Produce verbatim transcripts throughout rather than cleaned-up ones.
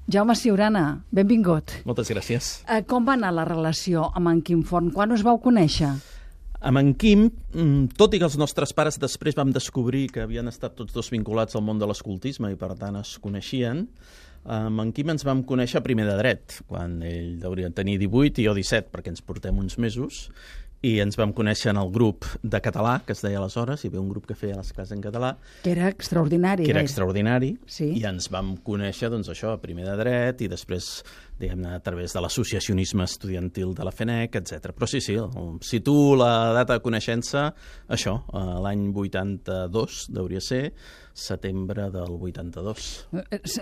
Jaume Ciurana, benvingut. Moltes gràcies. Eh, com va anar la relació amb en Quim Forn? Quan us vau conèixer? Amb en Quim, tot i que els nostres pares després vam descobrir que havien estat tots dos vinculats al món de l'escoltisme i per tant es coneixien, amb en Quim ens vam conèixer primer de dret, quan ell hauria de tenir divuit i jo disset, perquè ens portem uns mesos, i ens vam conèixer en el grup de català, que es deia aleshores, hi havia un grup que feia les classes en català. Que era extraordinari. Que era gaire. extraordinari, sí. I ens vam conèixer, doncs això, primer de dret i després, diguem-ne, a través de l'associacionisme estudiantil de la FENEC, etcètera. Però sí, sí, situo la data de coneixença, això, l'any vuitanta-dos, hauria ser, setembre del vuitanta-dos.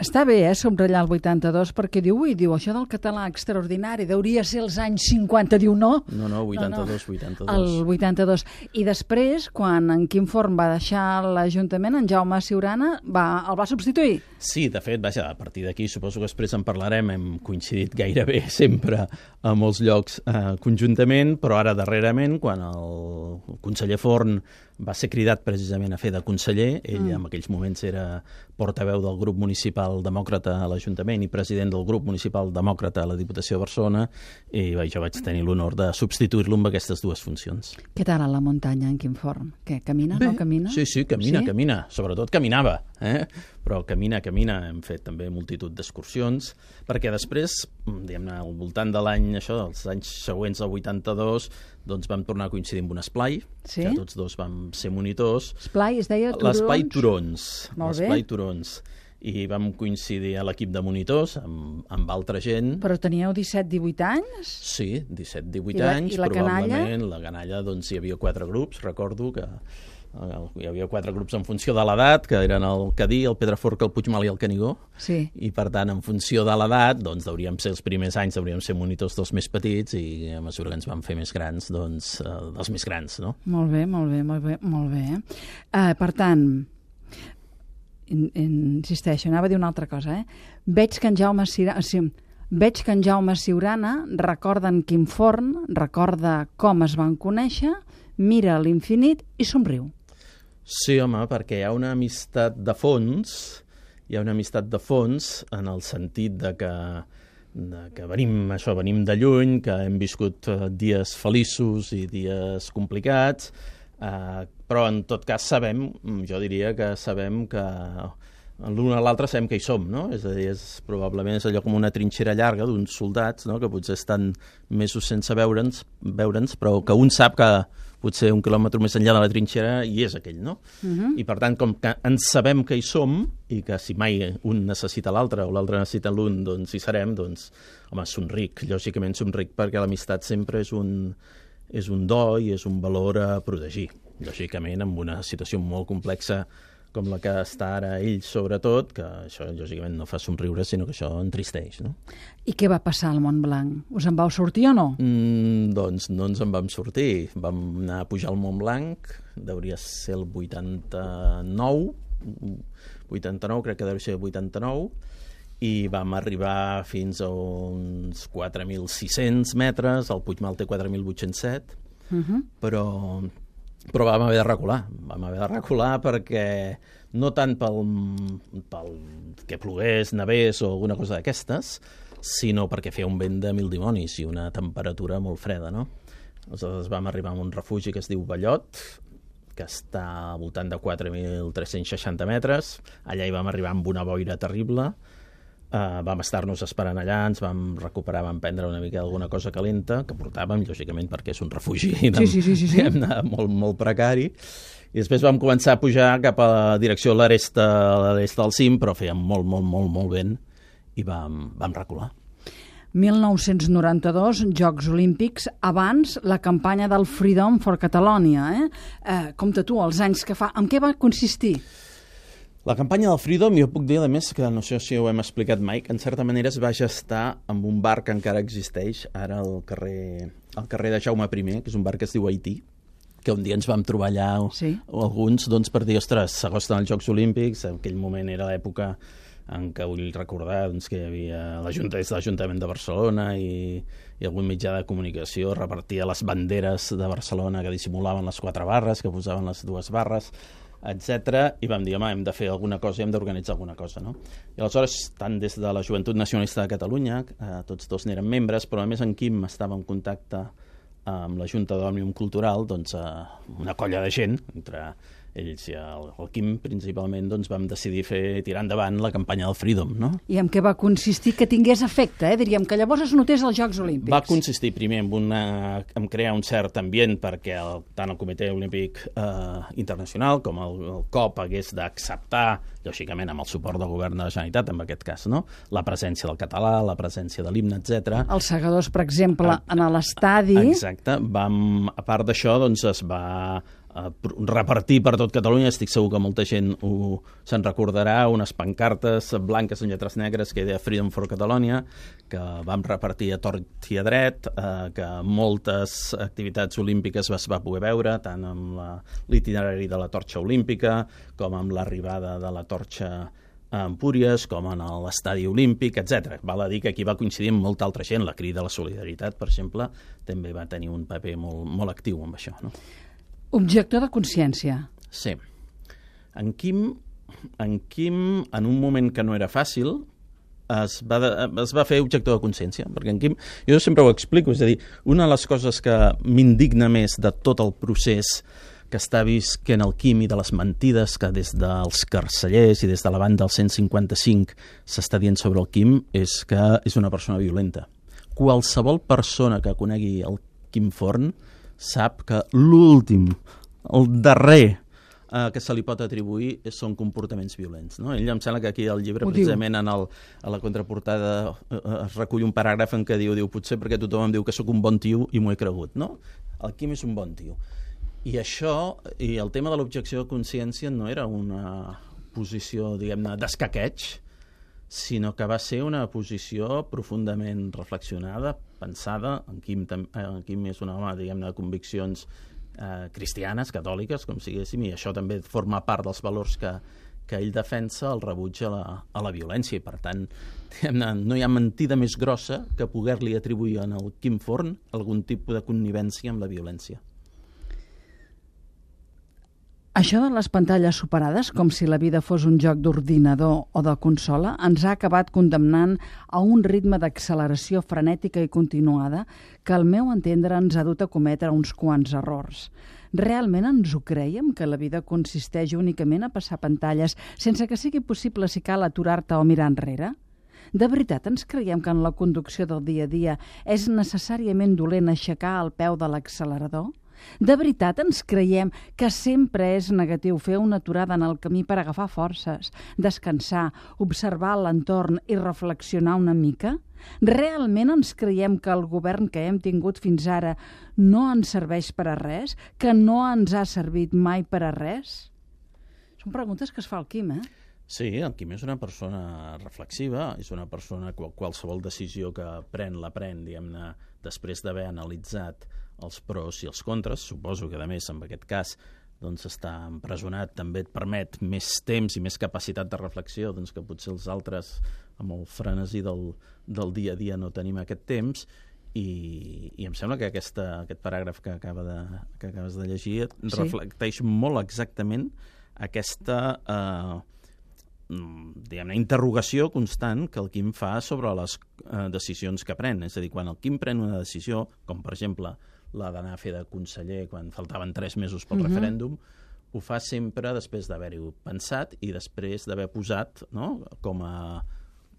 Està bé, eh, subratllar el vuitanta-dos, perquè diu, ui, diu, això del català extraordinari, deuria ser els anys cinquanta, diu no? No, no, vuitanta-dos, vuitanta-dos. El vuitanta-dos. I després, quan en Quim Forn va deixar l'Ajuntament, en Jaume Ciurana va, el va substituir? Sí, de fet, vaja, a partir d'aquí, suposo que després en parlarem, hem coincidit gairebé sempre a molts llocs eh, conjuntament, però ara darrerament, quan el conseller Forn va ser cridat precisament a fer de conseller, ell mm. en aquells moments era portaveu del grup municipal demòcrata a l'Ajuntament i president del grup municipal demòcrata a la Diputació de Barcelona, i jo vaig tenir l'honor de substituir-lo amb aquestes dues funcions. Què tal a la muntanya, en Quim Forn? Què, camina, Bé, no camina? Sí, sí, camina, sí? camina. Sobretot caminava, eh? Però camina, camina. Hem fet també multitud d'excursions, perquè després, diguem-ne, al voltant de l'any, això, els anys següents al vuitanta-dos, doncs vam tornar a coincidir amb un esplai, sí? que tots dos vam ser monitors. Esplai, es deia Turons? L'esplai Turons. Molt bé. L'esplai Turons. I vam coincidir a l'equip de monitors amb, amb altra gent. Però teníeu disset divuit anys? Sí, disset divuit I la, anys, i la probablement. canalla? La canalla, doncs hi havia quatre grups, recordo que hi havia quatre grups en funció de l'edat, que eren el Cadí, el Pedraforca, el Puigmal i el Canigó. Sí. I per tant, en funció de l'edat, doncs hauríem ser els primers anys, hauríem ser monitors dels més petits i a mesura que ens vam fer més grans, doncs eh, dels més grans, no? Molt bé, molt bé, molt bé, molt bé. Uh, per tant, in, insisteixo, anava a dir una altra cosa, eh? Veig que en Jaume Ciurana, sí, veig que en Jaume Ciurana recorda en Quim Forn, recorda com es van conèixer, mira a l'infinit i somriu. Sí, home, perquè hi ha una amistat de fons, hi ha una amistat de fons en el sentit de que, de que venim, això, venim de lluny, que hem viscut dies feliços i dies complicats, eh, però en tot cas sabem, jo diria que sabem que l'un a l'altre sabem que hi som, no? És a dir, és, probablement és allò com una trinxera llarga d'uns soldats, no? Que potser estan mesos sense veure'ns, veure'ns, però que un sap que potser un quilòmetre més enllà de la trinxera hi és aquell, no? Uh-huh. I per tant, com que ens sabem que hi som i que si mai un necessita l'altre o l'altre necessita l'un, doncs hi serem, doncs, home, somric, lògicament somric, perquè l'amistat sempre és un, és un do i és un valor a protegir. Lògicament, en una situació molt complexa com la que està ara ell, sobretot, que això, lògicament, no fa somriure, sinó que això entristeix, no? I què va passar al Montblanc? Us en vau sortir o no? Mm, doncs no ens en vam sortir. Vam anar a pujar al Montblanc, hauria ser el vuitanta-nou, vuitanta-nou, crec que deu ser el vuitanta-nou, i vam arribar fins a uns quatre mil sis-cents metres, el Puigmal té quatre mil vuit-cents set, uh-huh. però... però vam haver de recular, vam haver de recular perquè no tant pel, pel que plogués, nevés o alguna cosa d'aquestes, sinó perquè feia un vent de mil dimonis i una temperatura molt freda, no? Aleshores vam arribar a un refugi que es diu Ballot, que està al voltant de quatre mil tres-cents seixanta metres, allà hi vam arribar amb una boira terrible. Uh, vam estar-nos esperant allà, ens vam recuperar, vam prendre una mica alguna cosa calenta, que portàvem, lògicament, perquè és un refugi sí, sí, sí, sí, sí. molt, molt precari. I després vam començar a pujar cap a la direcció a l'est del cim, però feia molt, molt, molt, molt vent, i vam, vam recular. mil nou-cents noranta-dos, Jocs Olímpics, abans la campanya del Freedom for Catalonia. Eh? Eh, compte tu, els anys que fa. En què va consistir? La campanya del Freedom, jo puc dir, a més, que no sé si ho hem explicat mai, que en certa manera es va gestar amb un bar que encara existeix, ara al carrer, al carrer de Jaume primer, que és un bar que es diu Haití, que un dia ens vam trobar allà sí. alguns doncs, per dir, ostres, s'acosten els Jocs Olímpics, en aquell moment era l'època en què vull recordar doncs, que hi havia l'Ajuntament de Barcelona i, i algun mitjà de comunicació repartia les banderes de Barcelona que dissimulaven les quatre barres, que posaven les dues barres. etcètera, i vam dir, home, hem de fer alguna cosa, hem d'organitzar alguna cosa, no? I aleshores, tant des de la Joventut Nacionalista de Catalunya, eh, tots dos n'eren membres, però a més en Quim estava en contacte amb la Junta d'Òmnium Cultural, doncs eh, una colla de gent, entre ells i el, el Quim principalment, doncs vam decidir fer, tirar endavant la campanya del Freedom, no? I en què va consistir que tingués efecte, eh? Diríem que llavors es notés als Jocs Olímpics. Va consistir primer en, una, en crear un cert ambient perquè el, tant el Comitè Olímpic eh, Internacional com el, el C O P hagués d'acceptar, lògicament amb el suport del govern de la Generalitat, en aquest cas, no? La presència del català, la presència de l'himne, etcètera. Els segadors, per exemple, a, en l'estadi... Exacte. Vam, a part d'això, doncs es va a repartir per tot Catalunya, estic segur que molta gent se'n recordarà, unes pancartes blanques amb lletres negres que deia Freedom for Catalonia, que vam repartir a tort i a dret, eh, que moltes activitats olímpiques es va poder veure, tant amb l'itinerari de la torxa olímpica, com amb l'arribada de la torxa a Empúries, com en l'estadi olímpic, etcètera. Val a dir que aquí va coincidir amb molta altra gent. La Crida a la Solidaritat, per exemple, també va tenir un paper molt, molt actiu amb això, no? Objector de consciència. Sí. En Quim, en Quim, en un moment que no era fàcil, es va, de, es va fer objector de consciència, perquè en Quim, jo sempre ho explico, és a dir, una de les coses que m'indigna més de tot el procés que està visquent el Quim i de les mentides que des dels carcellers i des de la banda del cent cinquanta-cinc s'està dient sobre el Quim és que és una persona violenta. Qualsevol persona que conegui el Quim Forn sap que l'últim, el darrer eh, que se li pot atribuir són comportaments violents, no? Ell em sembla que aquí al llibre, Ho precisament en el, a la contraportada eh, es recull un paràgraf en què diu, diu potser perquè tothom em diu que sóc un bon tio i m'ho he cregut, no? El Quim és un bon tio. I això, i el tema de l'objecció de consciència no era una posició, diguem-ne, d'escaqueig, sinó que va ser una posició profundament reflexionada, pensada. En Quim, en Quim és un home, diguem-ne, de conviccions eh, cristianes, catòliques, com siguéssim, i això també forma part dels valors que, que ell defensa, el rebuig a la, a la violència, i per tant, diguem-ne, no hi ha mentida més grossa que poder-li atribuir en el Quim Forn algun tipus de connivència amb la violència. Això de les pantalles superades, com si la vida fos un joc d'ordinador o de consola, ens ha acabat condemnant a un ritme d'acceleració frenètica i continuada que, al meu entendre, ens ha dut a cometre uns quants errors. Realment ens ho creiem, que la vida consisteix únicament a passar pantalles sense que sigui possible, si cal, aturar-te o mirar enrere? De veritat ens creiem que en la conducció del dia a dia és necessàriament dolent aixecar el peu de l'accelerador? De veritat ens creiem que sempre és negatiu fer una aturada en el camí per agafar forces, descansar, observar l'entorn i reflexionar una mica? Realment ens creiem que el govern que hem tingut fins ara no ens serveix per a res? Que no ens ha servit mai per a res? Són preguntes que es fa el Quim, eh? Sí, el Quim és una persona reflexiva, és una persona que qualsevol decisió que pren, la pren, diguem-ne, després d'haver analitzat els pros i els contres. Suposo que, a més, en aquest cas, doncs, estar empresonat també et permet més temps i més capacitat de reflexió, doncs, que potser els altres, amb el frenesí del, del dia a dia, no tenim aquest temps. I, i em sembla que aquesta, aquest paràgraf que, acaba de, que acabes de llegir sí. reflecteix molt exactament aquesta eh, diguem-ne, interrogació constant que el Quim fa sobre les eh, decisions que pren. És a dir, quan el Quim pren una decisió, com per exemple la d'anar a fer de conseller quan faltaven tres mesos pel uh-huh. referèndum, ho fa sempre després d'haver-ho pensat i després d'haver posat, no?, com a,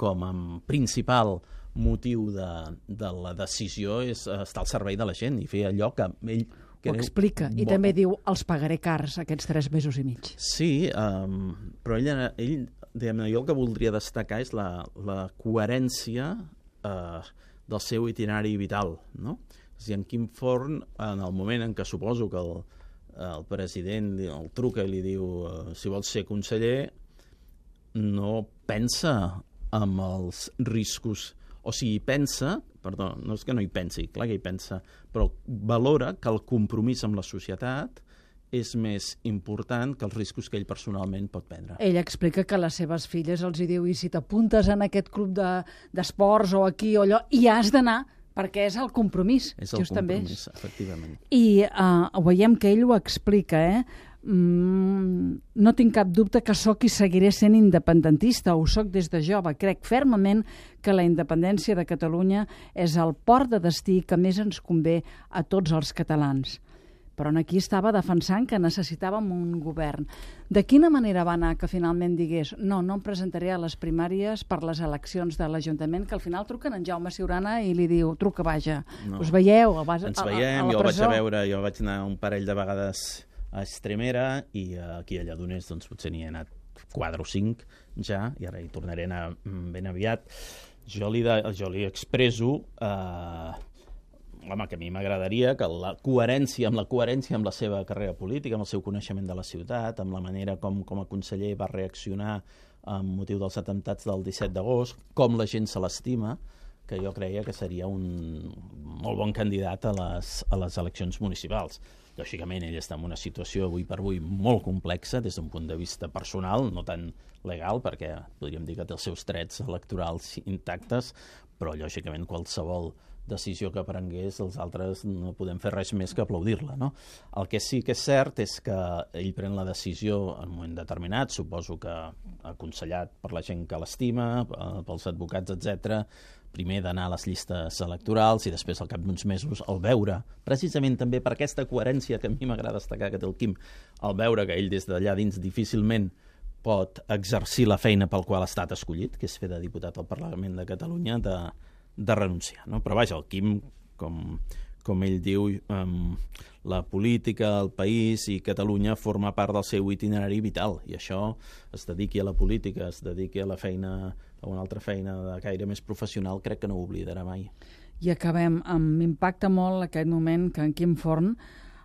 com a principal motiu de, de la decisió és estar al servei de la gent i fer allò que ell... Ho explica, i bo. També diu els pagaré cars aquests tres mesos i mig. Sí, um, però ell, ell diguem-ne, jo el que voldria destacar és la, la coherència uh, del seu itinerari vital, no? És a dir, en Quim Forn, en el moment en què suposo que el, el president el truca i li diu uh, si vols ser conseller, no pensa en els riscos, o sigui, pensa, perdó, no és que no hi pensi, clar que hi pensa, però valora que el compromís amb la societat és més important que els riscos que ell personalment pot prendre. Ell explica que a les seves filles els hi diu i si t'apuntes en aquest club de, d'esports o aquí o allò, hi has d'anar, perquè és el compromís. És el compromís, efectivament. I uh, veiem que ell ho explica, eh? Mm, no tinc cap dubte que sóc i seguiré sent independentista, ho sóc des de jove. Crec fermament que la independència de Catalunya és el port de destí que més ens convé a tots els catalans. Però aquí estava defensant que necessitàvem un govern. De quina manera va anar que finalment digués no, no em presentaré a les primàries per les eleccions de l'Ajuntament, que al final truquen en Jaume Ciurana i li diu, truca, vaja, no. Us veieu? Vas, Ens veiem, a, a jo el vaig a veure, jo vaig anar un parell de vegades a Extremera i aquí a Lledoners doncs, potser n'hi he anat quatre o cinc ja, i ara hi tornaré a anar ben aviat. Jo li, de, jo li expresso eh, home, que a mi m'agradaria que la coherència, amb la coherència amb la seva carrera política, amb el seu coneixement de la ciutat, amb la manera com, com a conseller va reaccionar amb motiu dels atemptats del disset d'agost, com la gent se l'estima, que jo creia que seria un molt bon candidat a les, a les eleccions municipals. Lògicament, ell està en una situació avui per avui molt complexa des d'un punt de vista personal, no tan legal, perquè podríem dir que té els seus drets electorals intactes, però lògicament qualsevol decisió que prengués, els altres no podem fer res més que aplaudir-la, no? El que sí que és cert és que ell pren la decisió en un moment determinat, suposo que aconsellat per la gent que l'estima, pels advocats, etcètera, primer d'anar a les llistes electorals i després al cap d'uns mesos el veure, precisament també per aquesta coherència que a mi m'agrada destacar que té el Quim, el veure que ell des d'allà dins difícilment pot exercir la feina pel qual ha estat escollit, que és fer de diputat al Parlament de Catalunya, de, de renunciar. No? Però vaja, el Quim, com, com ell diu, um, la política, el país i Catalunya forma part del seu itinerari vital, i això es dediqui a la política, es dediqui a la feina, a una altra feina de caire més professional, crec que no ho oblidarà mai. I acabem amb m'impacta molt aquest moment que en Quim Forn,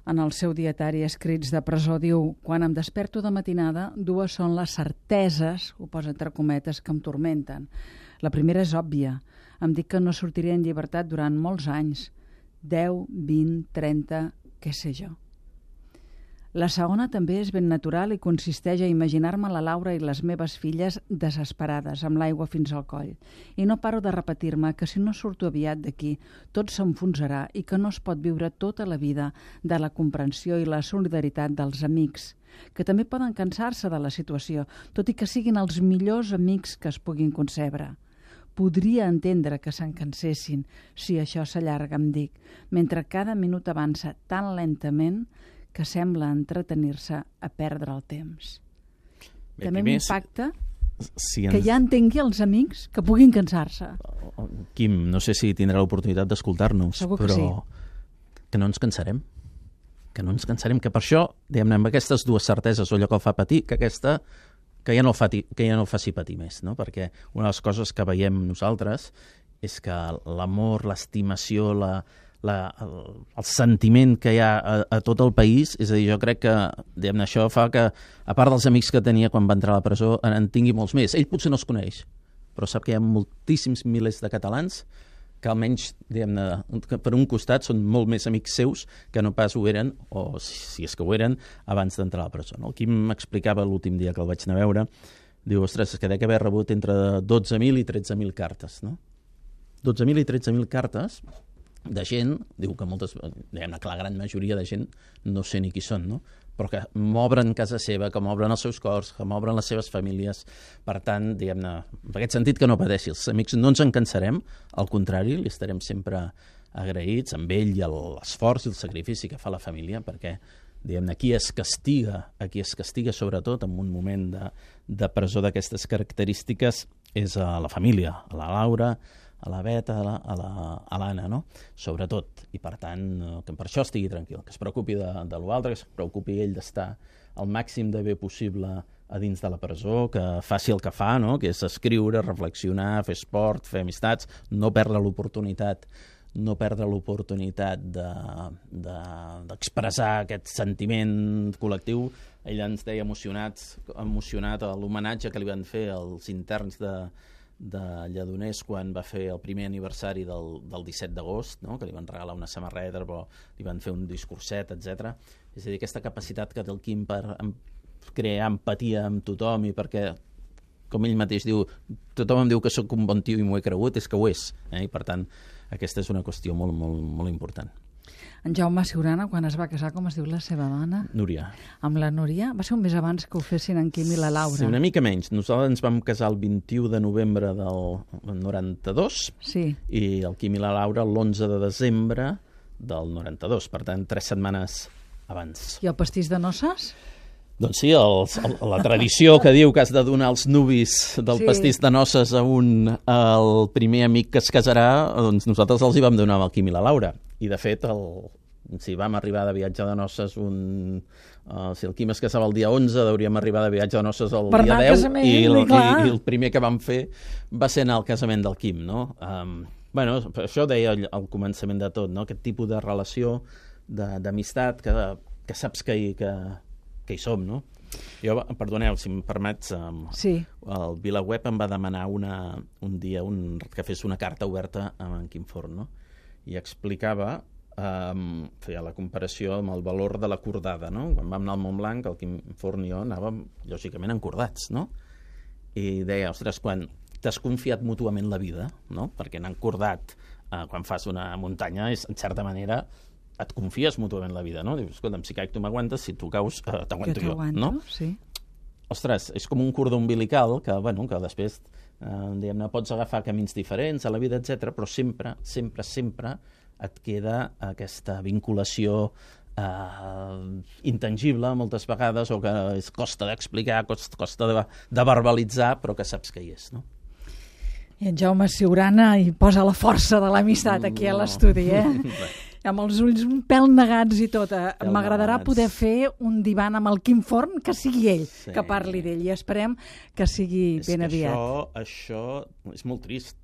en el seu dietari Escrits de presó, diu: quan em desperto de matinada, dues són les certeses, ho posa entre cometes, que em tormenten. La primera és òbvia. Em dic que no sortiré en llibertat durant molts anys, deu, vint, trenta, què sé jo. La segona també és ben natural i consisteix a imaginar-me la Laura i les meves filles desesperades, amb l'aigua fins al coll. I no paro de repetir-me que si no surto aviat d'aquí, tot s'enfonsarà i que no es pot viure tota la vida de la comprensió i la solidaritat dels amics, que també poden cansar-se de la situació, tot i que siguin els millors amics que es puguin concebre. Podria entendre que se'n cansessin si això s'allarga, em dic, mentre cada minut avança tan lentament que sembla entretenir-se a perdre el temps. Bé, també m'impacta si ens... que ja entengui els amics que puguin cansar-se. Quim, no sé si tindrà l'oportunitat d'escoltar-nos, però sí. Que no ens cansarem. Que no ens cansarem, que per això, diguem-ne, amb aquestes dues certeses, o allò que el fa patir, que aquesta... que ja no el, fati, que ja no el faci patir més, no? Perquè una de les coses que veiem nosaltres és que l'amor, l'estimació, la, la, el, el sentiment que hi ha a, a tot el país, és a dir, jo crec que diguem-ne, això fa que, a part dels amics que tenia quan va entrar a la presó, en tingui molts més. Ell potser no els coneix, però sap que hi ha moltíssims milers de catalans que almenys, diguem-ne, per un costat són molt més amics seus que no pas ho eren, o si és que ho eren, abans d'entrar a la presó. No? El Quim m'explicava l'últim dia que el vaig anar a veure, diu, ostres, és que dec haver rebut entre dotze mil i tretze mil cartes, no? dotze mil i tretze mil cartes de gent, diu que moltes, diguem-ne, que la gran majoria de gent no sé ni qui són, no? Però que m'obren casa seva, que m'obren els seus cors, que m'obren les seves famílies. Per tant, diguem-ne, en aquest sentit que no pateixi. Els amics no ens en cansarem, al contrari, li estarem sempre agraïts amb ell i l'esforç i el sacrifici que fa la família, perquè, diguem-ne, qui es castiga, a qui es castiga sobretot en un moment de, de presó d'aquestes característiques és a la família, a la Laura, a la Beta, a l'Anna, no? Sobretot. I per tant, que per això estigui tranquil, que es preocupi de, de l'altre, que es preocupi ell d'estar el màxim de bé possible a dins de la presó, que faci el que fa, no? Que és escriure, reflexionar, fer esport, fer amistats, no perdre l'oportunitat no perdre l'oportunitat d'expressar de, de, aquest sentiment col·lectiu. Ell ens deia emocionat, emocionat a l'homenatge que li van fer als interns de de Lledoners quan va fer el primer aniversari del, del disset d'agost, no? Que li van regalar una samarreta, però li van fer un discurset, etcètera. És a dir, aquesta capacitat que té el Quim per crear empatia amb tothom i perquè, com ell mateix diu, tothom em diu que sóc un bon tio i m'ho he cregut, és que ho és. Eh? I per tant, aquesta és una qüestió molt, molt, molt important. En Jaume Siurana, quan es va casar, com es diu la seva dona? Núria. Amb la Núria? Va ser un mes abans que ho fessin en Quim i la Laura. Sí, una mica menys. Nosaltres ens vam casar el vint-i-u de novembre del noranta-dos sí. i el Quim i la Laura l'onze de desembre del noranta-dos, per tant, tres setmanes abans. I el pastís de noces? Doncs sí, el, el, la tradició que diu que has de donar els nuvis del Sí. pastís de noces a un, al primer amic que es casarà, doncs nosaltres els hi vam donar amb el Quim i la Laura. I, de fet, el, si vam arribar de viatge de noces un... Uh, si el Quim es casava el dia onze, deuríem arribar de viatge de noces el Per dia anar al deu, casament, i el, i clar. i, i el primer que vam fer va ser anar al casament del Quim, no? Um, bueno, això deia al, al començament de tot, no? Aquest tipus de relació, d'amistat, que, que saps que hi, que, que hi som, no? Jo, perdoneu, si em permets, um, Sí. el VilaWeb em va demanar una, un dia un, que fes una carta oberta amb en Quim Forn, no? I explicava, um, feia la comparació amb el valor de la cordada, no? Quan vam anar al Montblanc, el Quim Forn i jo anàvem, lògicament, encordats, no? I deia, ostres, quan t'has confiat mútuament la vida, no? Perquè anar encordat uh, quan fas una muntanya és, en certa manera, et confies mútuament la vida, no? Dius, escolta'm, si caic tu m'aguantes, si tu caus eh, t'aguanto jo, no? Sí. Ostres, és com un cordó umbilical que, bueno, que després eh, diguem-ne, pots agafar camins diferents a la vida, etcètera, però sempre, sempre, sempre et queda aquesta vinculació eh, intangible moltes vegades, o que és costa d'explicar, costa, costa de, de verbalitzar, però que saps que hi és, no? I en Jaume Siurana hi posa la força de l'amistat aquí a l'estudi, eh? Amb els ulls un pèl negats i tot. M'agradarà poder fer un divan amb el Quim Forn, que sigui ell, sí. que parli d'ell, i esperem que sigui és ben que aviat. Això, això és molt trist.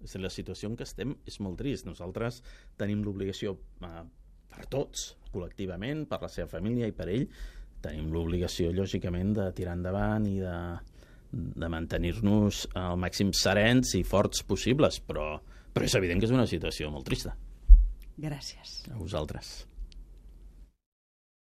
És la situació en què estem és molt trist. Nosaltres tenim l'obligació, eh, per tots, col·lectivament, per la seva família i per ell, tenim l'obligació, lògicament, de tirar endavant i de, de mantenir-nos al màxim serens i forts possibles, però, però és evident que és una situació molt trista. Gràcies. A vosaltres.